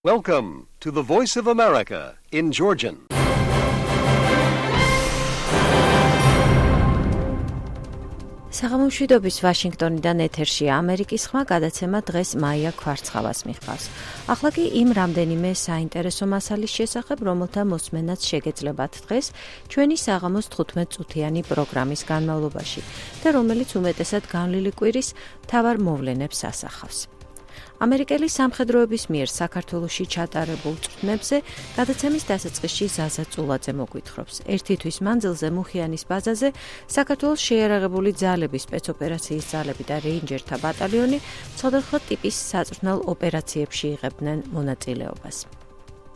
Welcome to the Voice of America in Georgian. საღამომშვიდობის ვაშინგტონიდან ეთერშია ამერიკის ხმა გადაცემა დღეს მაია ქვარცხავას მიჰყავს. ახლა კი იმ რამდენიმე საინტერესო მასალის შესახებ, რომელთა მოსმენაც შეგეძლებათ დღეს ჩვენი საღამოს 15 წუთიანი პროგრამის განმავლობაში და რომელიც უმეტესად განვლილი კვირის მთავარ მოვლენებს ასახავს. ამერიკელი სამხედროების მიერ საქართველოში ჩატარებულ წვრთნებზე გადაცემის დასაწყისში ზაზა წულაძე მოგვითხრობს. ერთი თვის მანძილზე მუხიანის ბაზაზე საქართველოს შეიარაღებული ძალების სპეცოპერაციის ძალები და რეინჯერთა ბატალიონი სხვადასხვა ტიპის საწვრთნელ ოპერაციებში იღებდნენ მონაწილეობას.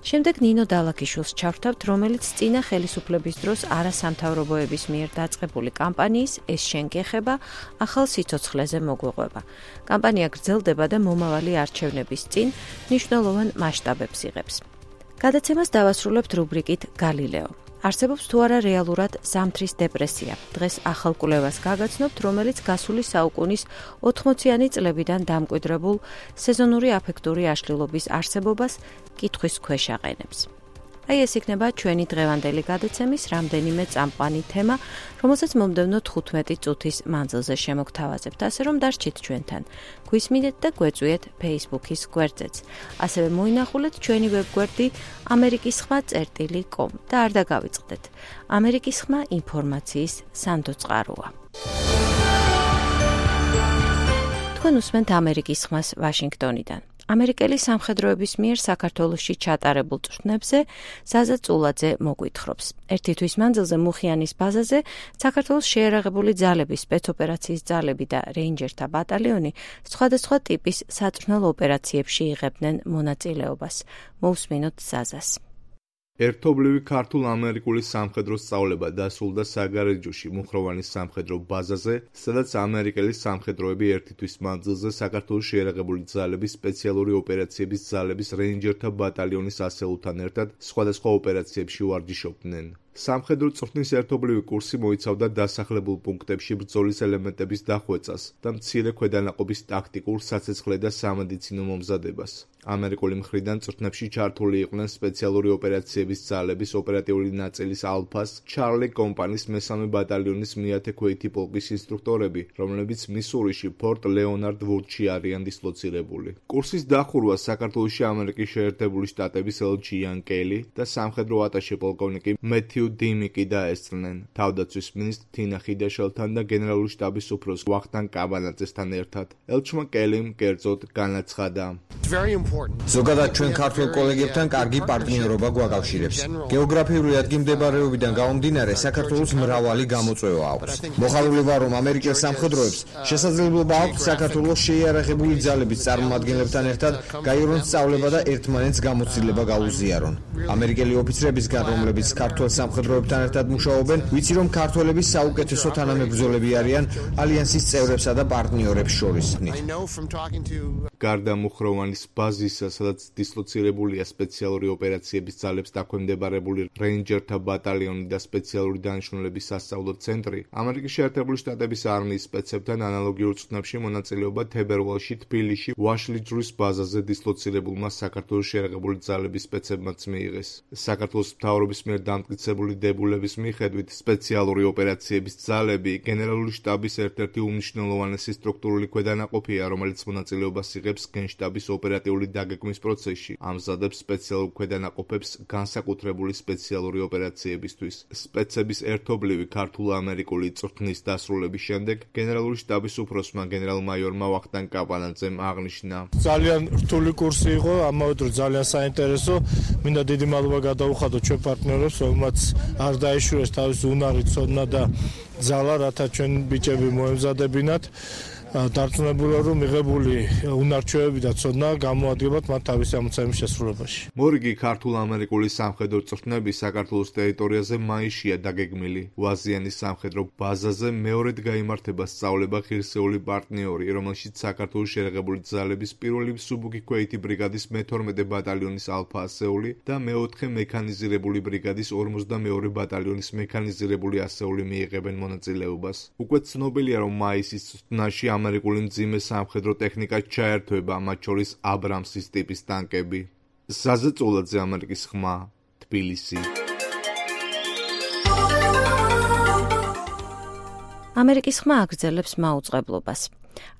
შემდეგ ნინო დალაქიშვილს ჩავთავთ, რომელიც წინა ხელისუფლების დროს არასამთავრობოების მიერ დაწყებული კამპანიის ეს შენ გეხება ახალ სიცოცხლეზე მოგვეყვება. კამპანია გრძელდება და მომავალი არჩევნების წინ მნიშვნელოვან მასშტაბებს იღებს. გადაცემას დავასრულებთ რუბრიკით გალილეო. არსებობს თუ არა რეალურად ზამთრის დეპრესია. დღეს ახალ კვლევას გაგაცნობთ, რომელიც გასული საუკუნის 80-იანი წლებიდან დამკვიდრებულ სეზონური აფექტური აშლილობის არსებობას კითხვის ქვეშ აყენებს. აი ეს იქნება ჩვენი დღევანდელი გადაცემის რამდენიმე წამყვანი თემა, რომელსაც მომდევნო 15 წუთის მანძილზე შემოგთავაზებთ, ასე რომ დარჩით ჩვენთან. გვისმინეთ და გვეწვიეთ Facebook-ის გვერდზეც. ასევე მოინახულეთ ჩვენი ვებგვერდი amerikisxma.com და არ დაგავიწყდეთ. ამერიკის ხმა ინფორმაციის სანდოწყაროა. თქვენ უსმენთ ამერიკის ხმას ვაშინგტონიდან. ამერიკელი სამხედროების მიერ საქართველოში ჩატარებულ წვრთნებზე ზაზა წულაძე მოგვითხრობს. ერთი თვის მანძილზე მუხიანის ბაზაზე საქართველოს შეიარაღებული ძალების სპეცოპერაციის ძალები და რეინჯერთა ბატალიონი სხვადასხვა ტიპის საწვრთნელ ოპერაციებში იღებდნენ მონაწილეობას. მოусმინოთ ზაზას. ერთობლივი ქართულ-ამერიკული სამხედრო სწავლება დასრულდა საგარეჯოში მუხროვანის სამხედრო ბაზაზე, სადაც ამერიკელი სამხედროები ერთი თვის მანძილზე საქართველოს შეიარაღებული ძალების სპეციალური ოპერაციების ძალების რეინჯერთა ბატალიონის ასეულთან ერთად სხვადასხვა ოპერაციებში ვარჯიშობდნენ. სამხედრო წვრთნის ერთობლივი კურსი მოიცავდა დასახლებულ პუნქტებში ბრძოლის ელემენტების დახვეწას და მცირე ქვედანაყოფის ტაქტიკურ, საცეცხლე და სამედიცინო მომზადებას. ამერიკული მხრიდან წვრთნებში ჩართული იყვნენ სპეციალური ოპერაციების ძალების ოპერატიული ნაწილის ალფას, ჩარლი კომპანის მესამე ბატალიონის მეათე ქვეითი პოლკის ინსტრუქტორები, რომლებიც მისურიში ფორტ ლეონარდ ვუდში არიან დისლოცირებული. კურსის დახურვას საქართველოში ამერიკის შეერთებული შტატების ელჩი იან კელი და სამხედრო ატაშე პოლკოვნიკი მეთიუ დიმიკი დაესწრნენ, თავდაცვის მინისტრ თინა ხიდაშელთან და გენერალური შტაბის უფროს ვახტანგ კაბანაძესთან ერთად. ელჩმა კელიმ კერძოდ განაცხადა: ზოგადად ჩვენ ქართველ კოლეგებთან კარგი პარტნიორობა გვაკავშირებს. გეოგრაფიული ადგილმდებარეობიდან გამომდინარე საქართველოს მრავალი გამოწვევა აქვს. მოხალული ვარ, რომ ამერიკელ სამხედროებს შესაძლებლობა აქვს საქართველოს შეიარაღებული ძალების წარმომადგენლებთან ერთად გაიარონ სწავლება და ერთმანეთს გამოცდილება გაუზიარონ. ამერიკელი ოფიცრებისგან, რომლებიც ქართველ სამხედროებთან ერთად მუშაობენ, ვიცი რომ ქართველები საუკეთესო თანამებრძოლები არიან ალიანსის წევრებსა და პარტნიორებს შორის. გარდა მუხროვანის ბაზისა, სადაც დისლოცირებულია სპეციალური ოპერაციების ძალებს დაქვემდებარებული რეინჯერთა ბატალიონი და სპეციალური დანიშნულების სასწავლო ცენტრი, ამერიკის შეერთებული შტატების არმიის სპეცებთან ანალოგიურ წვრთნებში მონაწილეობა თებერვალში თბილისში ვაშლიჯვრის ბაზაზე დისლოცირებულმა საქართველოს შეიარაღებული ძალების სპეცებმაც მიიღეს. საქართველოს მთავრობის მიერ დამტკიცებული დებულების მიხედვით სპეციალური ოპერაციების ძალები გენერალური შტაბის ერთ-ერთი უმნიშვნელოვანესი სტრუქტურული ქვედანაყოფია, რომელიც მონაწილეობას იღებს გენშტაბის ოპერატიული დაგეგმვის პროცესში, ამზადებს სპეციალურ ქვედანაყოფებს განსაკუთრებული სპეციალური ოპერაციებისთვის. სპეცების ერთობლივი ქართულ-ამერიკული წვრთნის დასრულების შემდეგ გენერალური შტაბის უფროსმა გენერალ-მაიორმა ვახტანგ კაპანაძემ აღნიშნა: ძალიან რთული კურსი იყო, ამავე დროს ძალიან საინტერესო. მინდა დიდი მადლობა გადაუხადოთ ჩვენ პარტნიორებს, რომელმაც არ დაიშურეს თავისი უნარი, ცოდნა და ძალა, რათა ჩვენ ბიჭები მოემზადებინათ. დარწმუნებულია, რომ მიღებული უნარჩვევები და ცოდნა გამოადგებათ მათ თავისი ამოცანების შესრულებაში. მორიგი ქართულ-ამერიკული სამხედრო წვრთნები საქართველოს ტერიტორიაზე მაისშია დაგეგმილი. ვაზიანის სამხედრო ბაზაზე მეორედ გაიმართება სწავლება ღირსეული პარტნიორი, რომელშიც საქართველოს შეიარაღებული ძალების პირველი მსუბუქი ქვეითი ბრიგადის მე-12 ბატალიონის ალფა ასეული და მე-4 მექანიზირებული ბრიგადის 52 ბატალიონის მექანიზირებული ასეული მიიღებენ მონაწილეობას. უკვე ცნობილია, რომ მაისის წვრთნაში ამერიკული მძიმე სამხედრო ტექნიკა ჩაერთვება, მათ შორის აბრამსის ტიპის ტანკები. ზაზა წოლაძე, ამერიკის ხმა, თბილისი. ამერიკის ხმა აგრძელებს მაუწყებლობას.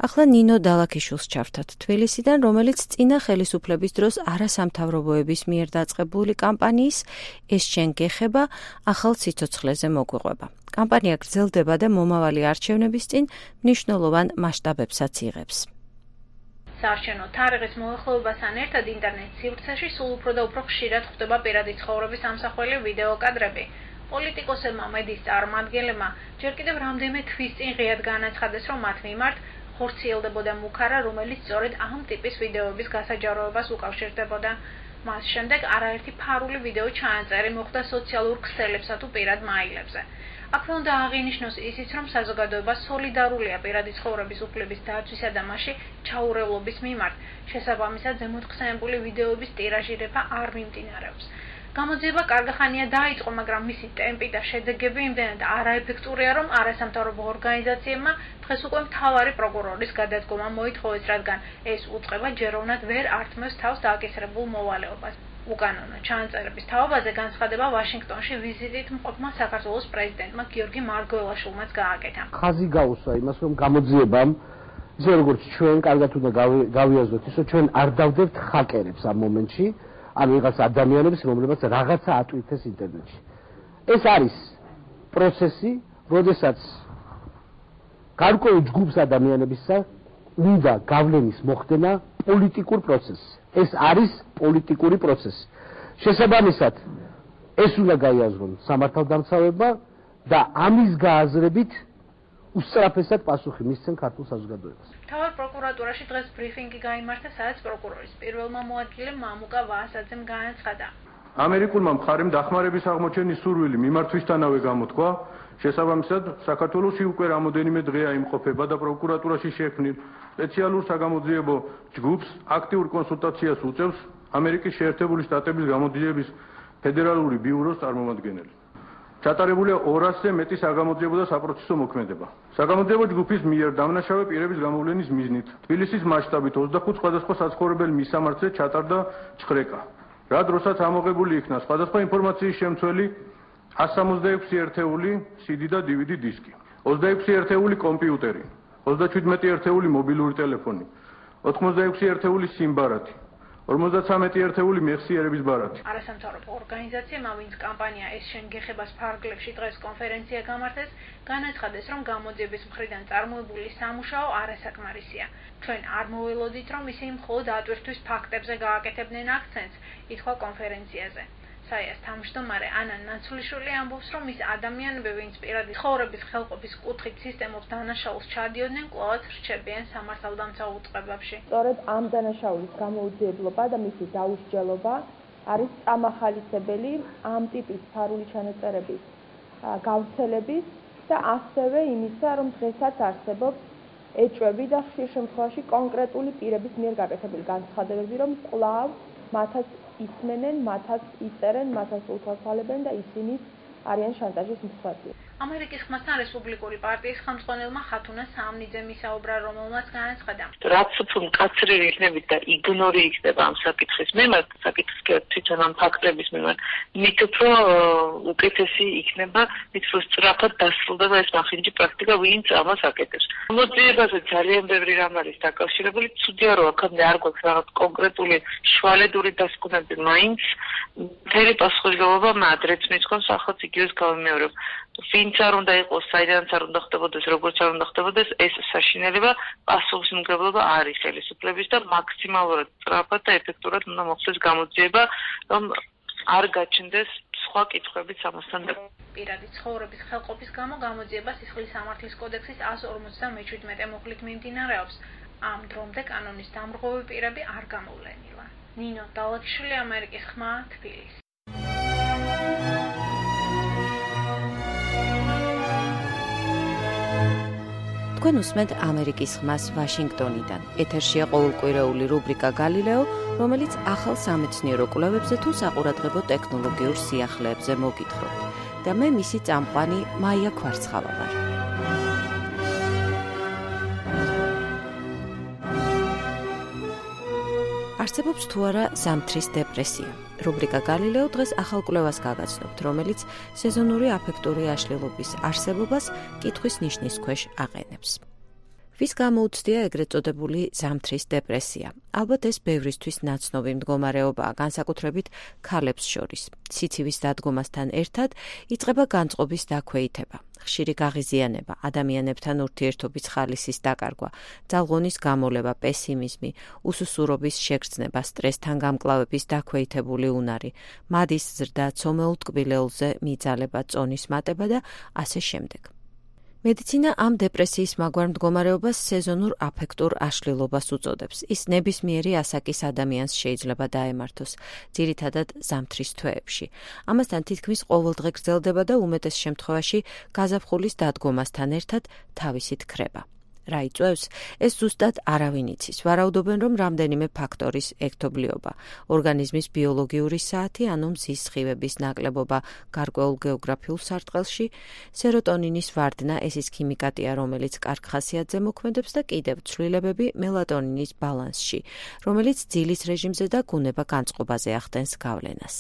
ახლა ნინო დალაქიშვილს ჩავთათ თბილისიდან, რომელიც წინა ხელისუფლების დროს არასამთავრობოების მიერ დაწყებული კამპანიის ეს შენ გეხება ახალ სიცოცხლეზე მოგვიყვება. კამპანია გრძელდება და მომავალი არჩევნების წინ მნიშვნელოვან მასშტაბებსაც იღებს. საარჩევნო თარიღის მოახლოებასთან ერთად ინტერნეტ სივრცეში სულ უფრო და უფრო ხშირად ხვდება პირადი ცხოვრების ამსახველი ვიდეო კადრები. პოლიტიკოსებმა მედიის წარმომადგენლებმა ჯერ კიდევ რამდენიმე თვის წინ ღიად განაცხადეს, რომ მათ მიმართ ხორციელდებოდა მუქარა, რომელიც სწორედ ამ ტიპის ვიდეოების გასაჯაროებას უკავშირდებოდა. მას შემდეგ არაერთი ფარული ვიდეო ჩაანწერი მოხდა სოციალურ ქსელებსა თუ პირად მაილებზე. აქვე უნდა აღინიშნოს ისიც, რომ საზოგადოება სოლიდარულია პირადი ცხოვრების უფლების დაცვისა და მასში ჩაურევლობის მიმართ. შესაბამისად, ზემოთხსენებული ვიდეოების ტირაჟირება არ მიმდინარეობს. გამოძიება კარგახანია დაიწყო, მაგრამ მისი ტემპი და შედეგები იმდენად არაეფექტურია, რომ არასამთავრობო ორგანიზაციებმა დღეს უკვე მთავარი პროკურორის გადადგომა მოითხოვეს, რადგან ეს უწყება ჯეროვნად ვერ ართმევს თავს დააკისრებულ მოვალეობას. უკანონო ჩანაწერების თავობაზე განცხადება ვაშინგტონში ვიზიტით მყოფმა საქართველოს პრეზიდენტმა გიორგი მარგველაშვილმაც გააკეთა. ხაზი გაუსვა იმას, რომ გამოძიებამ ისე როგორც ჩვენ კარგად უნდა გავიაზროთ, ისე ჩვენ არ დავდებთ ჰაკერებს ამ მომენტში. ან ვიღაც ადამიანებს, რომლებიც რაღაცა ატვირთეს ინტერნეტში. ეს არის პროცესი, როდესაც გარკვეულ ჯგუფს ადამიანებისა უნდა გავლენის მოხდენა პოლიტიკურ პროცესს. ეს არის პოლიტიკური პროცესი. შესაბამისად, ეს უნდა გაიაზრონ სამართალდამცავებმა და ამის გააზრებით უსწრაფესად პასუხი მისცენ ქართულ საზოგადოებას. მთავარ პროკურატურაში დღეს ბრიფინგი გაიმართა, სადაც პროკურორის პირველმა მოადგილემ მამუკა ვაასაძემ განაცხადა. ამერიკულმა მხარემ დახმარების აღმოჩენის სურვილი მიმართვისთანავე გამოთქვა, შესაბამისად, საქართველოში უკვე რამოდენიმე დღეა იმყოფება და პროკურატურაში შექმნილ სპეციალურ საგამოძიებო ჯგუფს აქტიურ კონსულტაციას უწევს ამერიკის შეერთებული შტატების გამოძიების ფედერალური ბიუროს წარმომადგენელი. ჩატარებულია 200-ზე მეტი საგამოძიებო და საპროცესო მოქმედება. საგამოძიებო ჯგუფის მიერ დამნაშავე პირების გამოვლენის მიზნით თბილისის მასშტაბით 25 სხვადასხვა საცხოვრებელ მისამართზე ჩატარდა ჩხრეკა. რა დროსაც ამოღებული იქნა სხვადასხვა ინფორმაციის შემცველი 166 ერთეული CD და DVD დისკი, 26 ერთეული კომპიუტერი, 37 ერთეული მობილური ტელეფონი, 86 ერთეული სიმბარათი, 53 ერთეული მეხსიერების ბარათი. არასამთავრობო ორგანიზაციებმა, ვინც კამპანია ეს შენ გეხებას ფარგლებში დღეს კონფერენცია გამართეს, განაცხადეს, რომ გამოძიების მხრიდან წარმოებული სამუშაო არასაკმარისია. ჩვენ არ მოველოდით, რომ ისინი მხოლოდ ატვირთვის ფაქტებზე გააკეთებდნენ აქცენტს, ითქვა კონფერენციაზე. საიას თავმჯდომარე ანა ნაცვლიშვილი ამბობს, რომ ის ადამიანები, ვინც პირადი ცხოვრების ხელყოფის კუთხით სისტემოს დანაშაულს ჩადიოდნენ, კვლავაც რჩებიან სამართალდამცავ უწყებებში. სწორედ ამ დანაშაულის გამოუძიებლობა და მისი დაუსჯელობა არის წამახალისებელი ამ ტიპის ფარული ჩანაწერების გავრცელების და ასევე იმისა, რომ დღესაც არსებობს ეჭვები და ხშირ შემთხვევაში კონკრეტული პირების მიერ გაკეთებული განცხადებები, რომ კვლავ მათაც ისმენენ, მათაც იწერენ, მათაც უთვალთვალებენ და ისინი არიან შანტაჟის მსხვერპლი. ამერიკის ხმასთან რესპუბლიკური პარტიის ხელმძღვანელმა ხათუნა სამნიძემ ისაუბრა, რომელმაც განაცხადა. რაც უფრო მკაცრები იქნებით და იგნორი იქნება ამ საკითხის მიმართ, საკითხის თვითონ ამ ფაქტების მიმართ, მით უფრო უკეთესი იქნება, მით უფრო სწრაფად დასრულდება ეს მახინჯი პრაქტიკა, ვინც ამას აკეთებს. გამოძიებაზე ძალიან ბევრი რამ არის დაკავშირებული, ცუდია რომ აქამდე არ გვაქვს რაღაც კონკრეტული შვალედური დასკვნები, მაინც მთელი პასუხისმგებლობა მადრეც მიწყობს, ახლა იგივეს გავიმეორებ. ვინც არ უნდა იყოს, საიდანაც არ უნდა ხდებოდეს, როგორც არ უნდა ხდებოდეს, ეს საშინელება პასუხისმგებლობა არის ხელისუფლების და მაქსიმალურად სწრაფად და ეფექტურად უნდა მოხდეს გამოძიება, რომ არ გაჩნდეს სხვა კითხვებიც ამასთან. პირადი ცხოვრების ხელყოფის გამო გამოძიება სისხლის სამართლის კოდექსის 157 მუხლით მიმდინარეობს. ამ დრომდე კანონის დამრღვევი პირები არ გამოვლენილა. ნინო დალაქიშვილი, ამერიკის ხმა, თბილისი. თქვენ უსმენთ ამერიკის ხმას ვაშინგტონიდან. ეთერშია ყოველკვირეული რუბრიკა გალილეო, რომელიც ახალ სამეცნიერო კვლევებზე თუ საყურადღებო ტექნოლოგიურ სიახლეებზე მოგითხრობთ. და მე მისი წამყვანი მაია ქვარცხავა ვარ. არსებობს თუ არა ზამთრის დეპრესია. რუბრიკა გალილეო დღეს ახალ კვლევას გაგაცნობთ, რომელიც სეზონური აფექტური აშლილობის არსებობას კითხვის ნიშნის ქვეშ აყენებს. ვის გამოუცდია ეგრეთ წოდებული ზამთრის დეპრესია? ალბათ ეს ბევრისთვის ნაცნობი მდგომარეობაა, განსაკუთრებით ქალებს შორის. სიცივის დადგომასთან ერთად იწყება განწყობის დაქვეითება, ხშირი გაღიზიანება, ადამიანებთან ურთიერთობის ხალისის დაკარგვა, ძალღონის გამოლება, პესიმიზმი, უსუსურობის შეგრძნება, სტრესთან გამკლავების დაქვეითებული უნარი, მადის ზრდა, ცომეულ ტკბილეულზე მიძალება, წონის მატება და ასე შემდეგ. მედიცინა ამ დეპრესიის მაგვარ მდგომარეობას სეზონურ აფექტურ აშლილობას უწოდებს. ის ნებისმიერი ასაკის ადამიანს შეიძლება დაემართოს, ძირითადად ზამთრის თვეებში. ამასთან თითქმის ყოველდღე გრძელდება და უმეტეს შემთხვევაში გაზაფხულის დადგომასთან ერთად თავისით ქრება. რა იწვევს? ეს ზუსტად არავინ იცის. ვარაუდობენ, რომ რამდენიმე ფაქტორის ერთობლიობა, ორგანიზმის ბიოლოგიური საათი, ანუ მზის სხივების ნაკლებობა გარკვეულ გეოგრაფიულ სარტყელში, სეროტონინის ვარდნა, ეს ის ქიმიკატია, რომელიც კარგ ხასიათზე მოქმედებს და კიდევ ცვლილებები მელატონინის ბალანსში, რომელიც ძილის რეჟიმზე და გუნება განწყობაზე ახდენს გავლენას.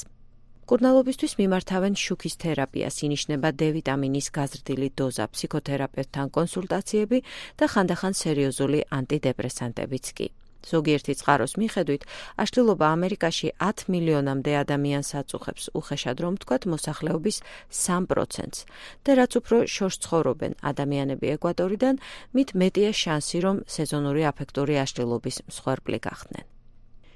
მკურნალობისთვის მიმართავენ შუქის თერაპიას, ინიშნება დ-ვიტამინის გაზრდილი დოზა, ფსიქოთერაპევტთან კონსულტაციები და ხანდახან სერიოზული ანტიდეპრესანტებიც კი. ზოგიერთი წყაროს მიხედვით, აშლილობა ამერიკაში 10 მილიონამდე ადამიანს აწუხებს, უხეშად რომ ვთქვათ, მოსახლეობის 3%-ს. და რაც უფრო შორს ცხოვრობენ ადამიანები ეკვატორიდან, მით მეტია შანსი, რომ სეზონური აფექტური აშლილობის მსხვერპლი გახდნენ.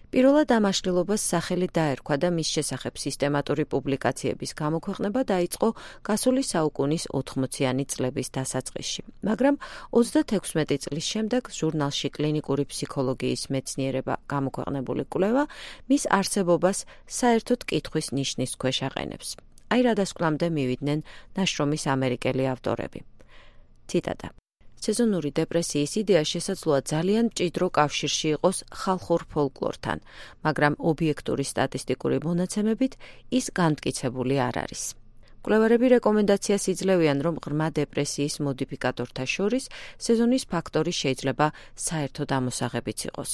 პირველად ამ აშლილობას სახელი დაერქვა და მის შესახებ სისტემატური პუბლიკაციების გამოქვეყნება დაიწყო გასული საუკუნის 80-იანი წლების დასაწყისში. მაგრამ 36 წლის შემდეგ ჟურნალში კლინიკური ფსიქოლოგიის მეცნიერება გამოქვეყნებული კვლევა მის არსებობას საერთოდ კითხვის ნიშნის ქვეშ აყენებს. აი რა დასკვნამდე მივიდნენ ნაშრომის ამერიკელი ავტორები. ციტატა: სეზონური დეპრესიის იდეა შესაძლოა ძალიან მჭიდრო კავშირში იყოს ხალხურ ფოლკლორთან, მაგრამ ობიექტური სტატისტიკური მონაცემებით ის განმტკიცებული არ არის. მკვლევარები რეკომენდაციას იძლევიან, რომ ღრმა დეპრესიის მოდიფიკატორთა შორის სეზონის ფაქტორი შეიძლება საერთოდ ამოსაღებიც იყოს.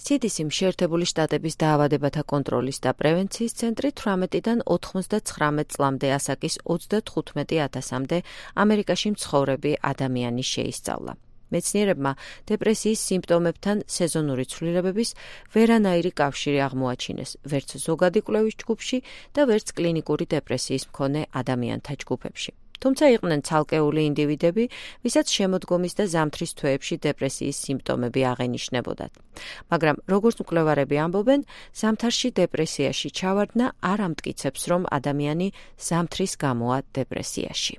CDC-მ შეერთებული შტატების დაავადებათა კონტროლის და პრევენციის ცენტრი 18-დან 99 წლამდე ასაკის 35,000-მდე ამერიკაში მცხოვრები ადამიანი შეისწავლა. მეცნიერებმა დეპრესიის სიმპტომებთან სეზონური ცვლილებების ვერანაირი კავშირი აღმოაჩინეს, ვერც ზოგადი კვლევის ჯგუფში და ვერც კლინიკური დეპრესიის მქონე ადამიანთა ჯგუფებში. თუმცა იყვნენ ცალკეული ინდივიდები, ვისაც შემოდგომის და ზამთრის თვეებში დეპრესიის სიმპტომები აღენიშნებოდათ. მაგრამ როგორც მკვლევარები ამბობენ, ზამთარში დეპრესიაში ჩავარდნა არ ამტკიცებს, რომ ადამიანი ზამთრის გამოა დეპრესიაში.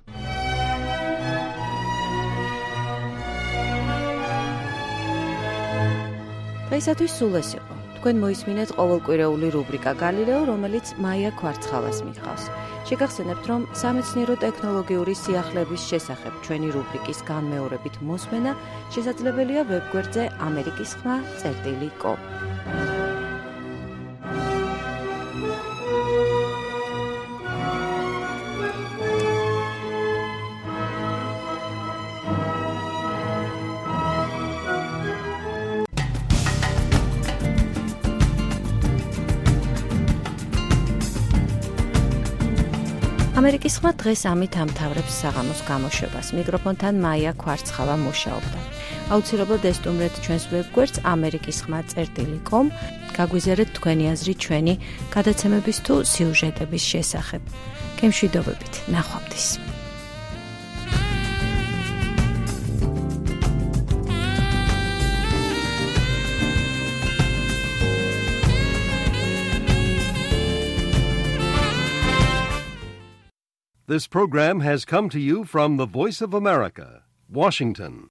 დღეისათვის სულ ეს იყო. თქვენ მოისმინეთ ყოველკვირეული რუბრიკა გალილეო, რომელიც მაია ქვარცხალას მიჰყავს. შეგახსენებთ, რომ სამეცნიერო ტექნოლოგიური სიახლეების შესახებ ჩვენი რუბრიკის განმეორებით მოსმენა შესაძლებელია ვებგვერდზე amerikisxma.com. ამერიკის ხმა დღეს ამით ამთავრებს საღამოს გამოშვებას. მიკროფონთან მაია ქვარცხალა მუშაობდა. აუცილებლად ესტუმრეთ ჩვენს ვებგვერდს amerikisxma.com. გაგვიზიარეთ თქვენი აზრი ჩვენი გადაცემების თუ სიუჟეტების შესახებ. გემშვიდობებით, ნახვამდის. This program has come to you from the Voice of America, Washington.